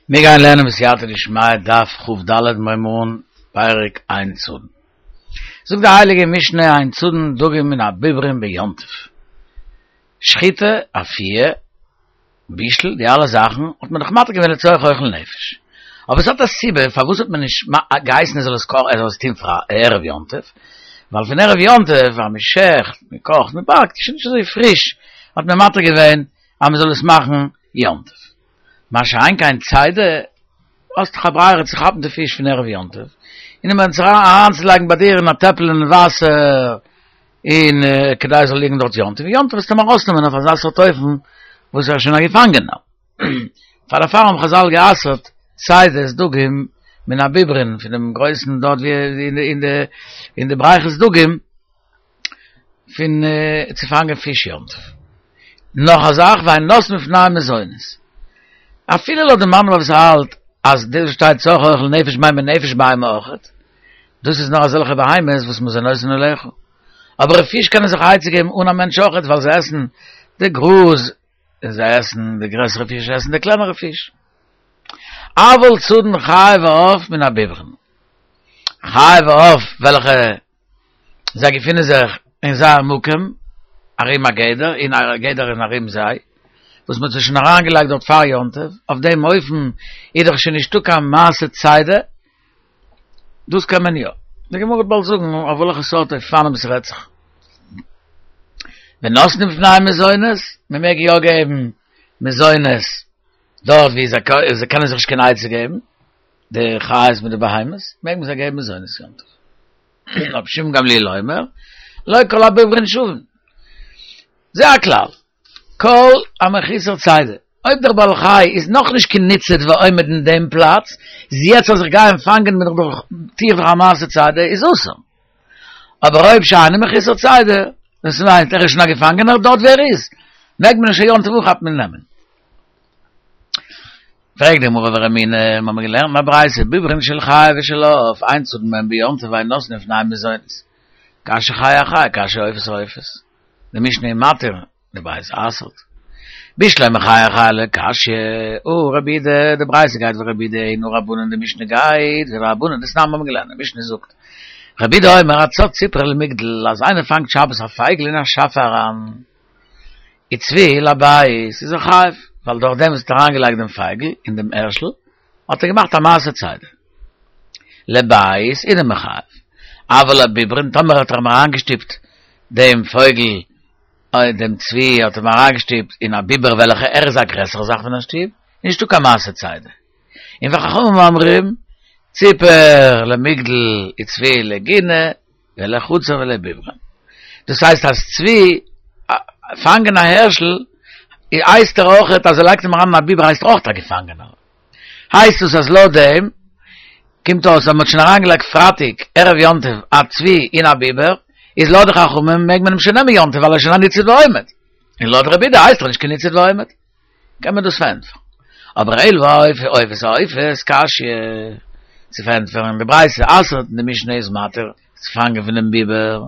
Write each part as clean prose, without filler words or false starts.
מיר גייען לערנען בסייעתא דשמיא דף כ"ד מיר הייבן אן פרק אין צדין. זאגט די הייליגע משנה אין צדין דגים מן הביברים ביום טוב. שחיטה, אפייה, בישול, די אלע זאכן האט מען דאך מתיר געווען לצורך אוכל נפש. אבער עס האט א סיבה פארוואס האט מען נישט געהייסן ער זאל עס קאכן ער זאל עס טון פאר ערב יום טוב, ווייל פון ערב יום טוב אז מען שעכט, מען קאכט, מען באקט, איז שוין נישט אזוי פריש, האט מען מתיר געווען אז מען זאל עס מאכן יום טוב. מה שאין כן צידה, האסט דאך א ברירה צו כאפן די פיש פון ערב יום טוב, און אים אריינצולייגן ביי דיר אין א טעפל אין וואסער, און כדי עס זאל ליגן דארט יום טוב, יום טוב וועסטו אים ארויסנעמען אויף אזא סארט אופן וואס ער איז שוין א געפאנגענער. פאר דערפאר האבן חזל גע'אסר'ט צידת דגים מן הביברין, פון דעם גרויסן דארט ווי אין די בריכות דגים, פון צו פאנגען פיש יום טוב. נאך א זאך, ואין נותנין לפניהם מזונות. אפילו לויט די מאן דאמר וואס האלט אז דאס וואס שטייט צורך אוכל נפש מיינט מען נפש בהמה אויכעט, דאס איז נאר אזעלכע בהמות וואס מזונותן עליך. אבער פיש קענען זיך א עצה געבן אן א מענטש אויכעט ווייל זיי עסן די גראז און זיי עסן די גרעסערע פיש עסן די קלענערע פיש. אבל צדין חיה ועוף מן הביברין. חיה ועוף וועלכע זיי געפינען זיך אין זייער מקום, ארום א גדר, און א גדר איז ארום זיי, וואס מען האט זיי שוין אריינגעלייגט דארט פאר יום טוב, אויף דעם אופן איז דאך שוין נישטא קיין מעשה צידה, דאס קען מען יא. די גמרא וועט באלד זאגן אויף וועלכע סארט אופנים עס רעדט זיך. ונותנין לפניהם מזונות, מען מעג יא געבן מזונות דארט ווי זיי קענען זיך נישט קיין עצה געבן. די חיות מיט די בהמות, מעג מען זיי געבן מזונות יום טוב. רבן שמעון גמליאל אומר, לא כל הביברין שווין. זה הכלל, כל המחוסר צידה, אויב דער בעל חי איז נאך נישט קיין ניצוד ועומד אין דעם פלאץ, איז יעצט אז איך גיי אים פאנגען בין איך דאך, טו איך דאך א מעשה צידה, איז אסור. אבער אויב שאינו מחוסר צידה, דאס מיינט ער איז שוין א געפאנגענער דארט ווי ער איז, מעג מען שוין יום טוב אנכאפן און נעמען. פרעגט די גמרא ורמינהי, מיר האבן געלערנט אין א ברייתא, ביברין של חיה ושל עוף, אין צדין בהן ביום טוב ואין נותנין לפניהם מזונות. קשיא חיה אחיה, קשיא עופות אעופות. די משנה איז מתיר, די ברייתא אסר'ט. בשלמא חיה אחיה לא קשיא, הא רבי יהודה, די ברייתא גייט ווי רבי יהודה און הא רבנן די משנה גייט ווי רבנן, דתנן מיר האבן געלערנט, די משנה זאגט, רבי יהודה אומר הצד ציפור למגדל, אז איינער פאנגט שבת א פייגל אין א שאפע אריין, וצבי לבית איז ער חייב, ווייל דורך דעם וואס ער האט אריינגעלייגט דעם פייגל אין דעם הערשל, האט ער געמאכט א מעשה צידה. לבית אינו מחייב, אבל לביברין, טאמער האט ער אים אריינגעשטופט דעם פויגל, דעם צבי האט אים אריינגעשטופט אין א ביבר וועלכע ער איז א גרעסערע זאך פון א שטוב, נישטא קיין מעשה צידה. און וחכמים אומרים, ציפור למגדל וצבי לגינה, ולחצר ולביברין. דאס הייסט אז צבי פאנגען א הערשל הייסט ער אויכעט אז ער לייגט אים אריין אין א ביבער הייסט ער אויכעט א געפאנגענער. הייסט עס אז לויט דעם קומט אויס אז מען האט שוין אריינגעלייגט פרייטאג ערב יום טוב א צבי אין א ביבער, איז לויט די חכמים מעג מען אים שוין נעמען יום טוב ווייל ער איז שוין א ניצוד ועומד. און לויט רבי יהודה הייסט ער נישט קיין ניצוד ועומד. קען מען דאס פארענטפערן. אבער אלא עופות אעופות קשיא צו פארענטפערן די ברייתא אסר'ט און די משנה איז מתיר צו פאנגען פונעם ביבער,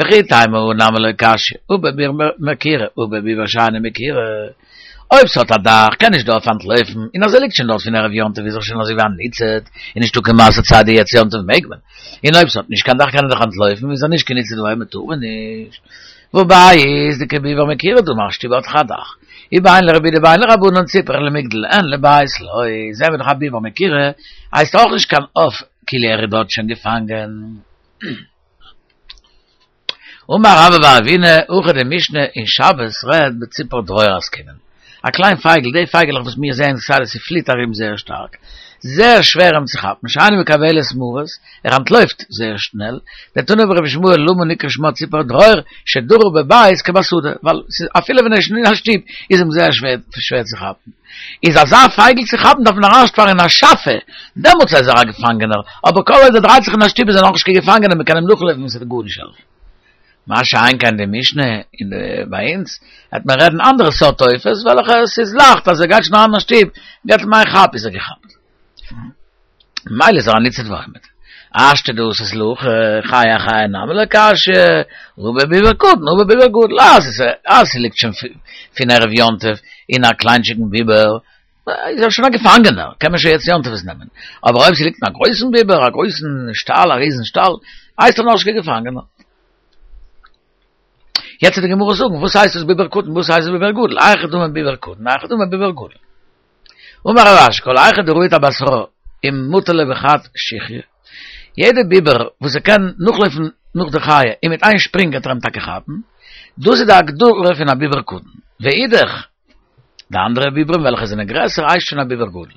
וכי תימא הא נמי לא קשיא, הא בביבר מקירה הא בביבר שאינו מקירה, אויב ס'האט א דאך קען נישט די עוף אנטלויפן, און אז ער ליגט שוין דארט פון ערב יום טוב איז ער שוין אזוי ווי א ניצוד, און נישטא קיין מעשה צידה יעצט יום טוב מעג מען, און אויב ס'האט נישט קיין דאך קען ער דאך אנטלויפן איז ער נישט קיין ניצוד ועומד טאר מען נישט. והא בית דכביבר מקירה דמי א שטוב האט דאך א דאך. ובין לרבי יהודה ובין לרבנן ציפור למגדל אין לבית לא, זעהן מיר דאך א ביבר מקירה הייסט אויך נישט קיין עוף כאילו ער איז דארט שוין געפאנגען. אמר רבה בר אבינא, הכא די משנה אין שבת רעדט בציפור דרור עסקינן. א קליין פייגל, די פייגעלעך וואס מיר זעען כסדר ס'פליט ארום זייער שטארק, זייער שווער אים צו כאפן, שאינה מקבלת מרות, ער אנטלויפט זייער שנעל, דתנא בי רבי ישמעאל למה נקרא שמה ציפור דרור, שדרה בבית כבשדה, ווייל ס'איז אפילו ווען ער איז שוין אין א שטוב איז אים זייער שווער צו כאפן. איז אזא פייגל צו כאפן דארף מען אריינשפארן אין א שאפע, דעמאלטס איז ער א געפאנגענער, אבער כל עוד ער דרייט זיך אין א שטוב איז ער נאכנישט קיין געפאנגענער, מ'קען אים נאכלויפן און ס'וועט גארנישט העלפן. מה שאין כן די משנה אין די ביי אונז וועט מען רעדן אנדערע סארט עופות וועלכע עס איז לייכט אז ער גייט שוין אריין אין א שטוב געבט אים איין כאפ איז ער געכאפט ממילא איז ער א ניצוד ועומד. השתא דאתית להכי חיה אחיה נמי לא קשיא הא בביבר קטן הא בביבר גדול אז עס אז ס'ליגט שוין פון ערב יום טוב אין א קליינטשיגן ביבער. איז ער שוין א געפאנגענער, קען מען שוין יעצט יום טוב עס נעמען. אבער אויב ס'ליגט אין א גרויסן ביבער, א גרויסן שטאל, א ריזן שטאל, הייסט ער נאכנישט קיין געפאנגענער. יעצט וועט די גמרא זאגן, וואס הייסט עס ביבר קטן, וואס הייסט עס ביבר גדול, היכי דמי ביבר קטן, היכי דמי ביבר גדול. אמר רב אשי, כל היכא דרהיט אבתרה ומטי ליה בחד שיחיא, יעדע ביבער וואס ער קען נאכלויפן נאך די חיה און מיט איין שפרינג וועט ער אים טאקע כאפן, דאס איז די הגדרה פון א ביבר קטן. ואידך, די אנדערע ביברים וועלכע זענען גרעסער הייסט שוין א ביבר גדול.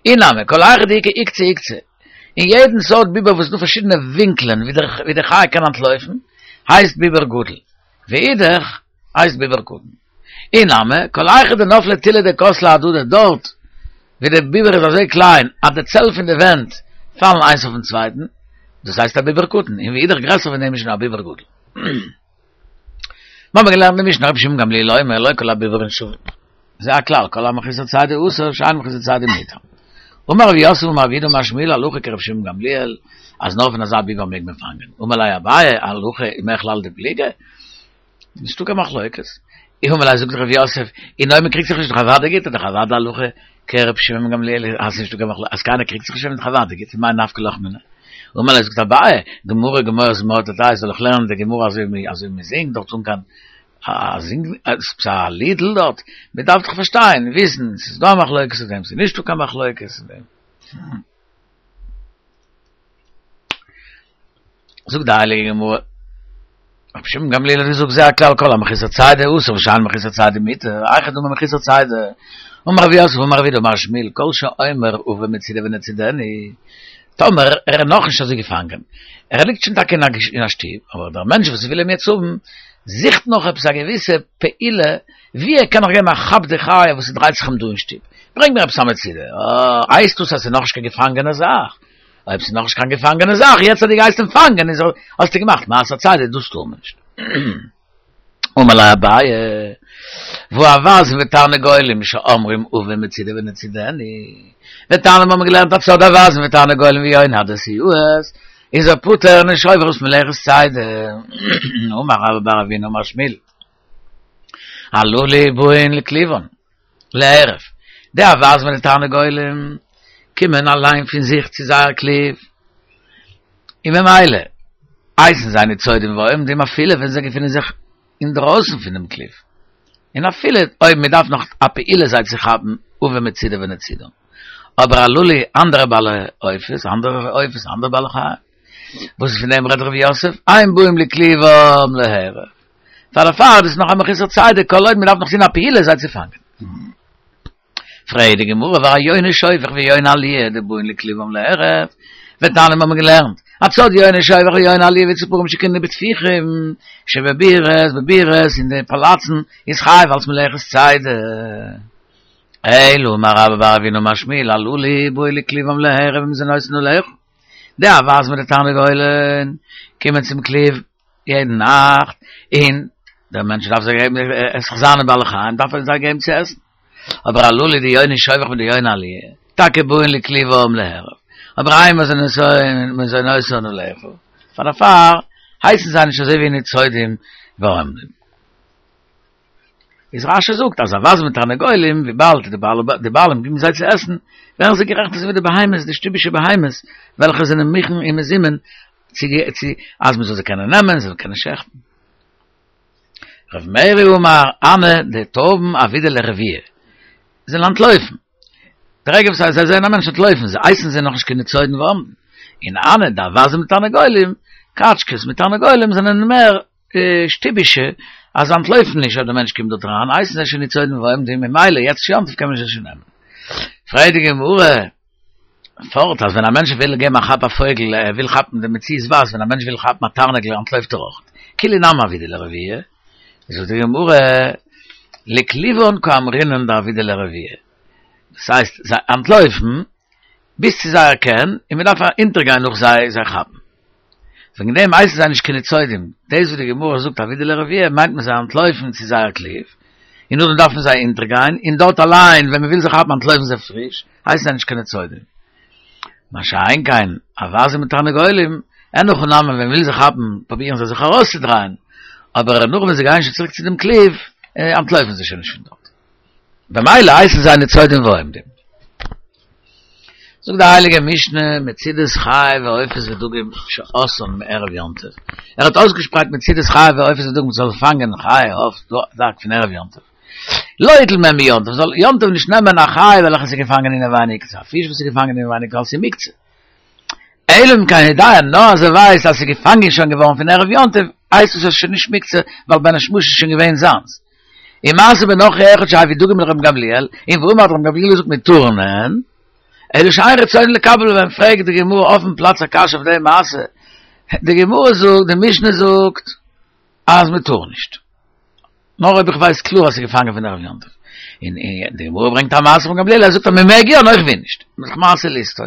אי נמי, כל היכא דאיכא עוקצי עוקצי, אין יעדן סארט ביבער וואס איז דא פארשידענע ווינקלען ווי די חיה קען אנטלויפן, הייסט ביבר גדול. ואידך, הייסט ביבר קטן. אי נמי, כל היכא דנפלי תילי דכותלי אהדדי דארט ווי די ביבר איז אזוי קליין אז די צעל פון די ווענט פאלן איינס אויפן צווייטן, דאס הייסט א ביבר קטן, און ואידך גרעסער פון דעם איז שוין א ביבר גדול. מיר האבן געלערנט אין משנה רבי שמעון גמליאל אומר לא כל הביברין שווין. זה הכלל, כל המחוסר צידה אסור, שאין מחוסר צידה מותר. אמר רב יוסף אמר רב יהודה אמר שמואל הלכה כרבי שמעון גמליאל, אז נאר פון אזא ביבר מעג מען פאנגען. אמר ליה אביי, הלכה ומכלל דפליגי? נישטא קיין מחלוקת. אמר ליה זאגט רב יוסף, און אויב מען קריגט זיך נישט דאך אוודאי גוט, איז דאך אוודאי הלכה כרבי שמעון גמליאל אז נישטא קיין מחלוקת, אז קיינער קריגט זיך נישט איז דאך אוודאי גוט, מאי נפקא לך מינה? אמר ליה זאגט אביי, גמרא גמור זמורה תתאה, זאל איך לערנען די גמרא אזוי ווי מען זינגט דארט אן קיין א זינג עפעס א לידל דארט, מען דארף דאך פארשטיין, וויסן, ס'איז דא א מחלוקת אין דעם, ס'איז נישטא קיין מחלוקת אין דעם. זאגט די הייליגע גמרא, רבי שמעון גמליאל האט געזאגט זה הכלל כל המחוסר צידה אסור ושאין מחוסר צידה מותר, היכי דמי מחוסר צידה, אמר רב יוסף אמר רב יהודה אמר שמואל כל שאומר הבא מצידי ונצידנו, טאמער ער איז נאכנישט אזוי געפאנגען, ער ליגט שוין טאקע אין א שטוב, אבער דער מענטש וואס וויל אים יעצט האבן, זוכט נאך עפעס א געוויסע פעולה ווי ער קען נאך געבן א כאפ די חיה וואס ס'דרייט זיך אים דא אין שטוב, ברענג מיר עפעס א מצידה, אה, הייסט דאס אז ס'איז נאכנישט קיין געפאנגענע זאך? אויב ס'איז נאכנישט קיין געפאנגענע זאך, יעצט אז דו גייסט אים פאנגען איז האסטו געמאכט מעשה צידה, דאס טאר מען נישט. אמר ליה אביי, והא אווזין ותרנגולים שאומרים הבא מצידי ונצידנו, ותניא מיר האבן געלערנט הצד אווזין ותרנגולים ויוני הדסיות, איז ער פטור נישט עובר אויף מלאכת צידה. אמר רבה בר אבינא אמר שמואל, הללו באין לכלובן להרף, די אווזין מיט די תרנגולים קומען אליין פון זיך צו זייער כלוב, און ממילא הייסן זיי ניצודים ועומדים אפילו ווען זיי געפינען זיך אינדרויסן פונעם כלוב, און אפילו אויב מען דארף נאך א פעולה זיי צו כאפן הבא מצידו ונצידו. אבער הללו אנדערע בעלי עופות, אנדערע עופות, אנדערע בעלי חיים, וואס פון דעם רעדט רב יוסף, אין באים לכלובם להרף. פאר דערפאר איז עס נאך א מחוסר צידה כל עוד מען דארף נאך טון א פעולה זיי צו פאנגען. פרעגט די גמרא והא יוני שובך ויוני עליה דבאין לכלובם להרף, ותניא מיר האבן געלערנט, הצד יוני שובך ויוני עליה וציפורים שקיננו בטפיחים שבבירות בבירות אין די פאלאצן איז חייב אלס מלאכת צידה. אלא אמר רבה בר אבינא אמר שמואל הללו באו לכלובם להרף ומזונותן לאכול. די אווז מיט די תרנגולין קומען צום כלוב יעדן נאכט, און דער מענטש דארף זיי געבן, עס איז זיינע בעלי חיים, דארף ער זיי געבן צו עסן. אבער הללו די יוני שובך מיט די יוני עליה, טאקע באין לכלובם להרף, אבער אין מזונותן לאכול, פאר דערפאר הייסן זיי נישט אזוי ווי ניצודים ועומדים. איז רשי זאגט אז אווזים מיט תרנגולים וויבאלד די בעלים גיבן זיי צו עסן, ווערן זיי גערעכנט אזוי ווי די בהמות, די שטובישע בהמות, וועלכע זענען מוכן און מזומן צו צו אז מען זאל זיי קענען נעמען, זיי זאלן קענען שעכטן. רב מרי אמר, הני די טויבן עבידי לרבויי, זיי אנטלויפן. די רגע וואס זיי זעען א מענטש אנטלויפן זיי, הייסן זיי נאכנישט קיין ניצודים ועומדים. און הני די אווזים מיט תרנגולים, קאטשקעס מיט תרנגולים זענען מער שטובישע, אז זיי אנטלויפן נישט אויב דער מענטש קומט דארט אריין, הייסן זיי שוין ניצודים ועומדים, ממילא יעצט יום טוב קען מען זיי שוין נעמען. פרעגט די גמרא, פארט אז ווען א מענטש וויל געבן א כאפ א פויגל, ער וויל כאפן די מציאות ווייזט ווען א מענטש וויל כאפן א תרנגול אנטלויפט ער אויך, כולהו נמי עבידי לרבויי, זאגט די גמרא, לכלובן קאמרינן דעבידי לרבויי, דאס הייסט זיי אנטלויפן ביז צו זייער קן און מען דארף אונטערגיין נאך זיי זיי כאפן. וועגן דעם הייסן זיי נישט קיין ניצודים, דאס וואס די גמרא זאגט עבידי לרבויי מיינט מען זיי אנטלויפן צו זייער כלוב, און נאכדעם דארף מען זיי אונטערגיין, און דארט אליין ווען מען וויל זיי כאפן אנטלויפן זיי פריש, הייסן זיי נישט קיין ניצודים. מה שאין כן, אווזים מיט תרנגולים, אין הכי נמי ווען מען וויל זיי כאפן פרובירן זיי זיך ארויסצודרייען, אבער נאך ווען זיי גייען שוין צוריק צו דעם כלוב, אנטלויפן זיי שוין נישט פון דארט. במילא הייסן זיי ניצודים ועומדים. זאגט די הייליגע משנה, מצידת חי ועופות ודגים שעשאן מערב יום טוב, ער האט אויסגעשפרייט מצידת חי ועופות ודגים מ'זאל פאנגען חי עוף דג פון ערב יום טוב, לא יטול מהן ביום טוב, זאל יום טוב נישט נעמען א חי וועלכע איז געפאנגען אינעווייניג, צו א פיש וואס איז געפאנגען אינעווייניג ווייל ס'איז מוקצה. אלא אם כן יודע, נאר אז ער ווייסט אז ס'איז געפאנגען שוין געווארן פון ערב יום טוב, הייסט עס אז ס'איז שוין נישט מוקצה, ווייל בין השמשות איז שוין געווען זיינס. און מעשה בנכרי אחד שהביא דגים לרבן גמליאל, און ואמר האט רבן גמליאל געזאגט מותרין הן, אלא שאין רצונו לקבל מהן, פרעגט די גמרא אויפן פלאץ א קשיא אויף די מעשה, די גמרא זאגט, די משנה זאגט אז מען טאר נישט, נאר אויב איך ווייס קלאר אז ס'איז געפאנגען פון ערב יום טוב, און די גמרא ברענגט א מעשה פון גמליאל, ער זאגט אז מען מעג יא, נאר איך וויל נישט, מעשה לסתור.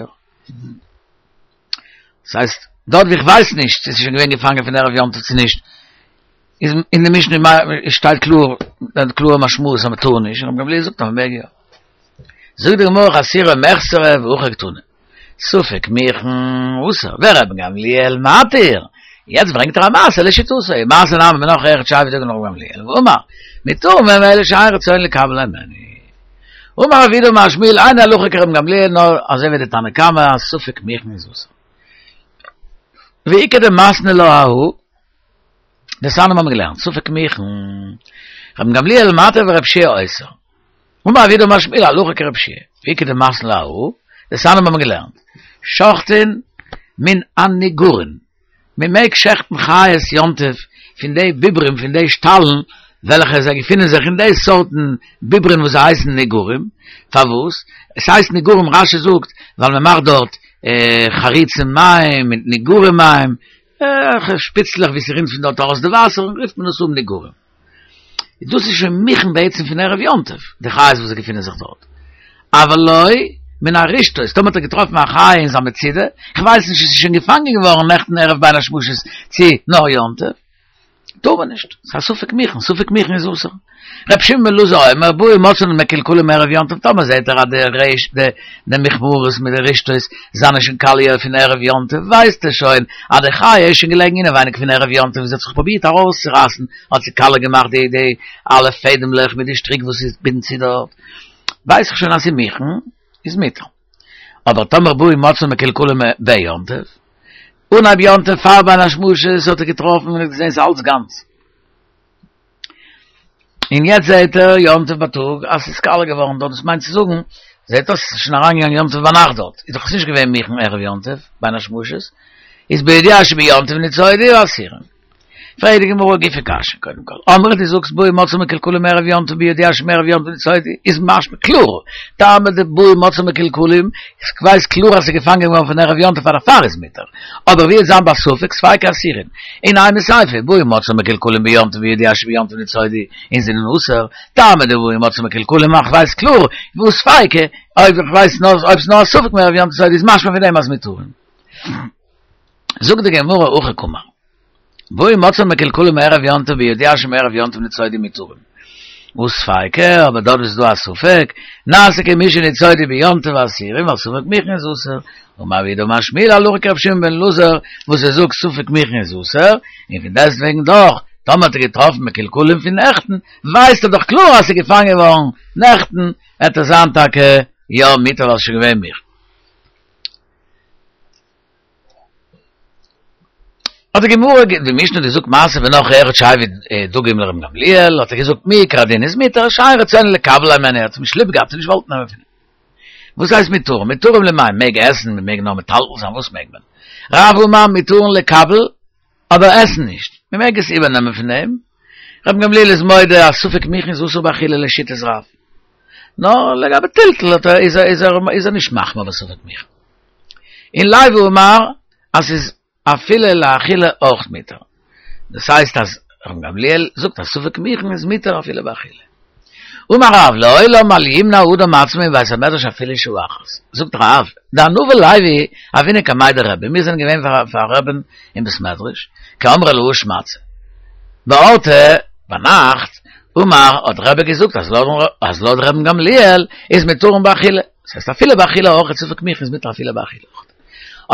דאס הייסט, דארט ווי איך ווייס נישט צו עס איז שוין געווען געפאנגען פון ערב יום טוב צו נישט, איז אין די משנה שטייט קלאר, די קלארע משמעות אז מען טאר נישט, און רבן גמליאל זאגט אז מען מעג יא. זאגט די גמרא חסורי מחסרא והכי קתני, ספק מוכן אסור, ורבן גמליאל מתיר, יעצט ברענגט ער א מעשה לשיטתו, מעשה נמי בנכרי אחד שהביא דגים לרבן גמליאל, ואמר, מותרין הן אלא שאין רצונו לקבל הימנו. אמר רב יהודה אמר שמואל אין הלכה כרבן גמליאל נאר אזוי ווי די תנא קמא אז ספק מוכן איז אסור. ואיכא דמתני לה אהא, דתניא האבן מיר געלערנט ספק מוכן, רבן גמליאל מתיר ורב שיע אוסר. אמר רב יהודה אמר שמואל הלכה כרב שיע, ואיכא דמתני לה אהא, דתניא האבן מיר געלערנט שוחטין מן הניגורין, מען מעג שעכטן חיות יום טוב פון די ביברים פון די שטאלן וועלכע זיי געפינען זיך אין די סארטן ביברים וואס זיי הייסן ניגורים, פארוואס עס הייסט ניגורים רש"י זאגט ווייל מען מאכט דארט חריצי מים מיט ניגורי מים, שפיצלעך ווי ס'רינט פון דארט ארויס די וואסער רופט מען עס אן ניגורים. דאס איז שוין מוכן בעצם פון ערב יום טוב, די חיות וואס געפינען זיך דארט. אבל לא מן הרשתות, טאמער האט ער געטראפן א חיה אין זיין מצידה, איך ווייס נישט צו ס'איז שוין געפאנגען געווארן נעכטן ערב בין השמשות צו נאר יום טוב, טאר מען נישט, ס'איז א ספק מוכן, ספק מוכן איז אסור. ר' שמעון בן אלעזר אומר, בא ומצאן מקולקלים מערב יום טוב, טאמער זעט ער אז די רשת, די מכמרות מיט די רשתות זענען שוין קאליע פון ערב יום טוב, ווייסט ער שוין אז די חיה איז שוין געלעגן אינעווייניג פון ערב יום טוב און זי האט זיך פרובירט ארויסצורייסן, האט זי קאליע געמאכט די די אלע פעדעמלעך מיט די שטריק וואס איז בינדט צו דארט, ווייס איך שוין אז ס'איז מוכן, איז מותר. אבער טאמער בא ומצאן מקולקלים ביום טוב, אנהייב יום טוב פאר בין השמשות האט ער געטראפן און האט געזען ס'איז אלץ גאנץ. און יעצט זעהט ער יום טוב בייטאג אז ס'איז קאליע געווארן דארט, דאס מיינט צו זאגן, זעהט אויס ס'איז שוין אריינגעגאנגען יום טוב ביינאכט דארט, איז דאך עס נישט געווען מוכן ערב יום טוב בין השמשות, איז בידיעה שביום טוב ניצודו אסורין. פרעגט די גמרא גופא קשיא, קודם כל, אמרת דו זאגסט בא ומצאן מקולקלים מערב יום טוב בידיעה שמערב יום טוב ניצודו, איז משמע קלאר, טעמא דבא ומצאן מקולקלים, איך ווייס קלאר אז ס'איז געפאנגען געווארן פון ערב יום טוב פאר דערפאר איז מותר, אבער ווי וועט זיין ביי ספק ספיקא אסורין, און אימא סיפא, בא ומצאן מקולקלים ביום טוב בידיעה שביום טוב ניצודו, און זענען אסור, טעמא דבא ומצאן מקולקלים איך ווייס קלאר, והא ספיקא, אויב איך ווייס נאר אויב ס'איז נאר א ספק מערב יום טוב ניצודו איז משמע פון דעם אז מותרין. זאגט די גמרא הכי קאמר, בא ומצאן מקולקלים מערב יום טוב בידיעה שמערב יום טוב ניצודו מותרין. והא ספיקא, אבער דארט איז דא א ספק, נעשה כמי שניצודו ביום טוב אסורים, ווייל ספק מוכן איז אסור. אמר רב יהודה אמר שמואל הלכה כרבי שמעון בן אלעזר, וואס ער זאגט ספק מוכן איז אסור, און פון דעסטוועגן דאך, טאמער האט ער געטראפן מקולקלים פון נעכטן, ווייסט ער דאך קלאר אז ס'איז געפאנגען געווארן נעכטן, וועט עס זיין טאקע יא מותר ווייל ס'איז שוין געווען מוכן. האט די גמרא די משנה האט געזאגט מעשה בנכרי אחד שהביא דגים לרבן גמליאל האט ער געזאגט מעיקר הדין איז מותר שאין רצונו לקבל הימנו ער האט אים נישט ליב געהאט און נישט געוואלט נעמען פון אים וואס הייסט מותרין מותרין למאי מעג עסן מען מעג נאר מטלטל זיין וואס מעג מען רב אמר מותרין לקבל אבער עסן נישט מען מעג עס איבערנעמען פון אים רבן גמליאל איז מודה אז ספק מוכן איז אסור באכילה לשיטת רב נאר לגבי טלטול האט ער איז ער איז ער איז ער נישט מחמיר בספק מוכן. און לוי אמר אז ס'איז אפילו לאכילה אויך מותר. דאס הייסט אז רבן גמליאל זאגט אז ספק מוכן איז מותר אפילו באכילה. אמר רב לעולם אל ימנע אדם עצמו מבית המדרש אפילו שעה אחת. זאגט רב, דאנא ולוי הוינן קמיה דרבי, מיר זענען געווען פאר רבי'ן אין בית מדרש, קאמרי להא שמעתתא. באורתא, ביינאכט, אמר האט רבי געזאגט אז לויט רבן גמליאל איז מותרין באכילה. דאס הייסט אפילו באכילה אויך ספק מוכן איז מותר אפילו באכילה אויך.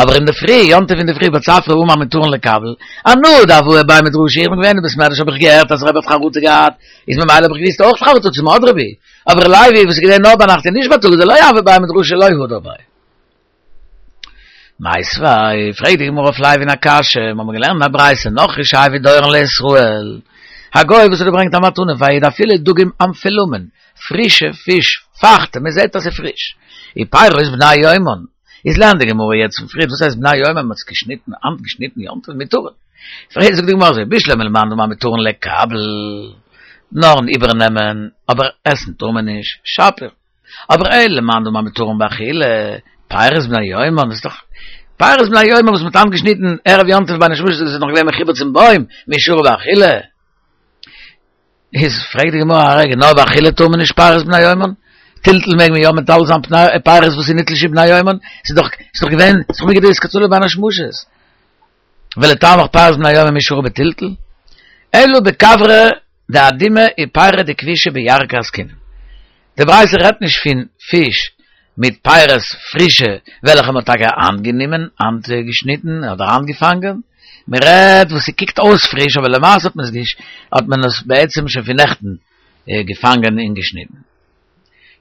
אבער אינדערפרי, יום טוב אינדערפרי בצפרא אמר מותרין לקבל, אנא דהואי בי מדרשא, איך בין געווען אין בית מדרש האב איך געהערט אז רבי האט חרטה געהאט, איז ממילא האב איך געוויסט אויך חרטה צו האבן אדרבה, אבער לוי וואס איז געווען נאר ביינאכט און נישט בייטאג דלא הוה בי מדרשא לא הדר ביה. מיתיבי, פרעגט די גמרא אויף לוי'ן א קשיא, מיר האבן געלערנט אין א ברייתא, נכרי שהביא דורון לישראל, א גוי וואס האט געברענגט א מתנה פאר א איד אפילו דגים המפולמין, פרישע פיש, פאכטע, מען זעט אז ס'איז פריש, ופירות בני יומן, איז לערנט די גמרא יעצט פון פריערט וואס הייסט בני יומן, מען האט עס געשניטן, היינט געשניטן יום טוב מותרין, פרעגט זאגט די גמרא אזוי, בשלמא למאן דאמר מותרין לקבל, נארן איבערנעמען, אבער עסן טאר מען נישט, שפיר. אבער אלא למאן דאמר מותרין באכילה, פירות בני יומן, איז דאך פירות בני יומן וואס מ'האט איינגעשניטן ערב יום טוב בין השמשות איז נאך געווען מחובר צום בוים, מי שרי באכילה. איז פרעגט די גמרא א רגע, נאר באכילה טאר מען נישט פירות בני יומן? טלטול מעג מען יא מטלטל זיין פירות וואס איז נתלשו בני יומן? ס'איז דאך ס'איז דאך געווען ס'איז דאך מיגו דאתקצאי לבין השמשות. ולטעמיך פירות בני יומן מי שרי בטלטול? אלא בכוורי דאדימי ופירי דכבישא בירקא עסקינן. די ברייתא רעדט נישט פון פיש מיט פירות פרישע וועלכע מ'האט טאקע איינגענומען, איינגעשניטן אדער איינגעפאנגען, מ'רעדט וואס ס'קוקט אויס פריש אבער למעשה האט מען עס האט מען עס בעצם שוין פון נעכטן געפאנגען און געשניטן.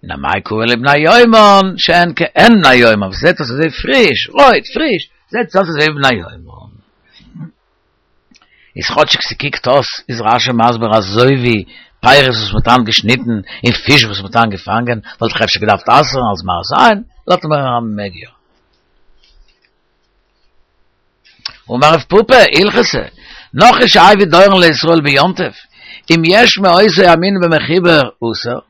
און אמאי קרי להו בני יומן שהן כעין בני יומן וואס זעט אויס אזוי פריש, רויט, פריש, זעט עס אויס אזוי ווי בני יומן. איז כאטשיג ס'קוקט אויס איז רש"י מסביר אזוי ווי פירות וואס מ'האט היינט געשניטן און פיש וואס מ'האט היינט געפאנגען וואלט איך אפשר געדארפט אסר'ן אלס מראית עין, לאזט מען אז מ'מעג יא. אמר רב פפא, הלכתא, נכרי שהביא דורון לישראל ביום טוב, אם יש מאותו המין במחובר אסור,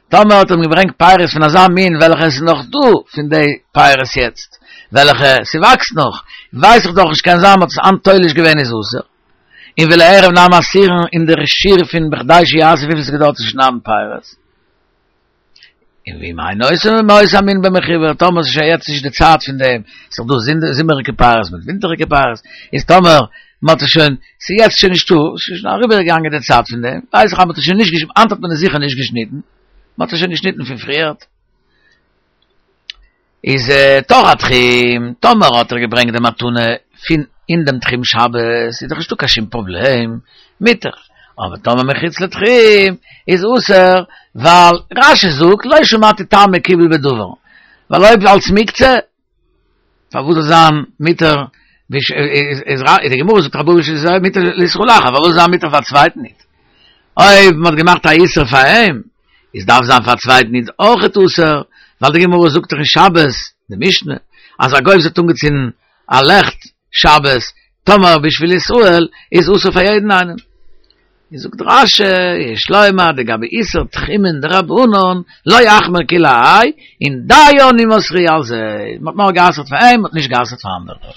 טאמער האט ער אים געברענגט פירות פון אזא מין וועלכע עס איז נאך דא פון די פירות יעצט, וועלכע ס'וואקסט נאך, ווייס איך דאך נישט קען זיין מ'האט עס היינט תולש געווען איז אסור. און ולערב נמי אסירן און דער שיעור פון בכדי שיעשו וויפיל ס'געדויערט צו שניידן פירות. און ואם אין אותו מאותו המין במחובר, טאמער ס'איז שוין יעצט נישט די צייט פון דעם, ס'איז דאך דא זומעריגע פירות מיט ווינטעריגע פירות, איז טאמער מ'האט עס שוין, ס'איז יעצט שוין נישטא, ס'איז שוין אריבער געגאנגען די צייט פון דעם, ווייס איך אז מ'האט עס שוין נישט געשניטן, היינט האט מען עס זיכער נישט געשניטן, מ'האט עס שוין געשניטן פון פריערט. איז תוך התחום, טאמער האט ער געברענגט די מתנה פון אין דעם תחום שבת, איז דאך נישטא קיין שום פראבלעם, מותר, אבער טאמער מחוץ לתחום איז אסור, ווייל רש"י זאגט לא שמעתי טעם מקובל בדבר, ווייל אויב אלס מוקצה, פארוואס זאל זיין מותר, איז די גמרא זאגט רבא איז מותר לישראל אחר, פארוואס זאל זיין מותר פאר א צווייטן איד? אויב מען האט געמאכט א איסור פאר אים, איז דארף זיין פאר א צווייטן איד אויכעט אסור, ווייל די גמרא זאגט דאך אין שבת, די משנה, אז א גוי וואס האט אנגעצינדן א לעכט שבת, טאמער בשביל ישראל, איז אסור פאר יעדן איינעם. איז זאגט רש"י, יש לומר דגבי איסור תחומין דרבנן, לא אחמיר כולי האי, און דיו אם אסרו על זה, מען האט נאר גע'אסר'ט פאר אים, מען האט נישט גע'אסר'ט פאר אנדערע.